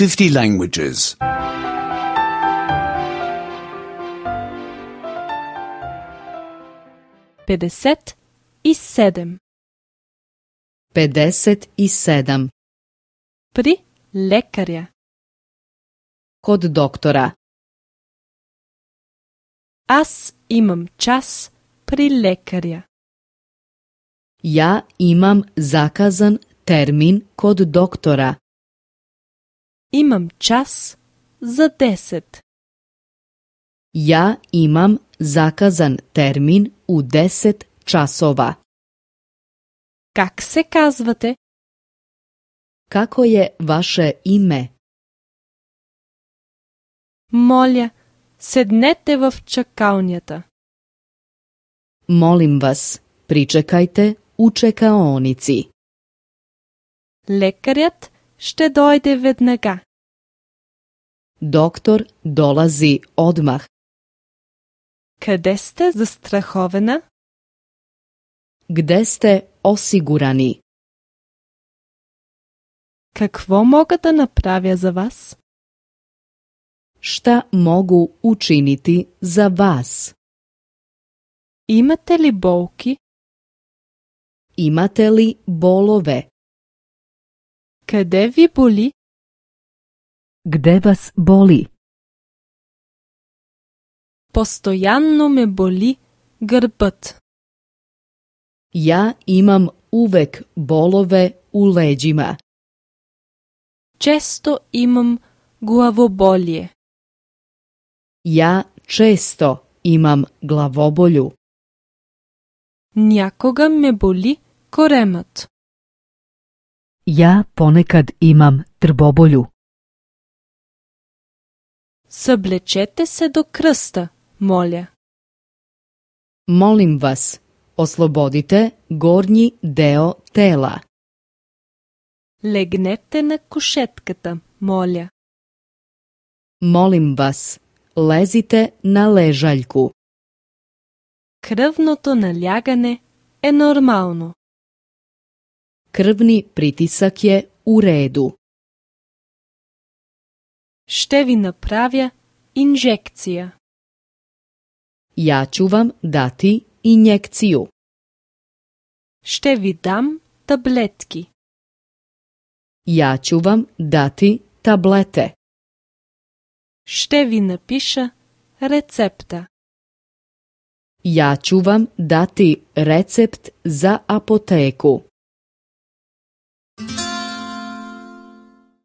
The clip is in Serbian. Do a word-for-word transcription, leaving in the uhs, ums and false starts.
fifty languages. pedeset i sedam. pedeset i sedam. Pri lekarja. Kod doktora. Аз имам час при лекаря. Ja imam zakazan termin kod doktora. Имам час за десет. Ja imam zakazan termin u deset časova. Как се казвате? Kako je vaše ime? Моля, седнете в чакалнята. Molim vas, pričekajte u čekaonici. Лекарят ще дойде веднага. Doktor dolazi odmah. Къде сте застрахована? Gde ste osigurani? Какво мога да направя за вас? Šta mogu učiniti za vas? Имате ли болки? Imate li bolove? Къде ви боли? Gde vas boli? Постоянно ме боли гърбът. Ja imam uvek bolove u leđima. Често имам главоболие. Ja često imam glavobolju. Някога ме боли коремът. Ja ponekad imam trbobolju. Съблечете се до кръста, моля. Molim vas, oslobodite gornji deo tela. Легнете на кушетката, моля. Molim vas, lezite na ležaljku. Кръвното налягане е нормално. Krvni pritisak je u redu. Ще ви направя инжекция. Ja ću vam dati injekciju. Ще ви дам таблетки. Ja ću vam dati tablete. Ще ви напиша рецепта. Ja ću vam dati recept za apoteku.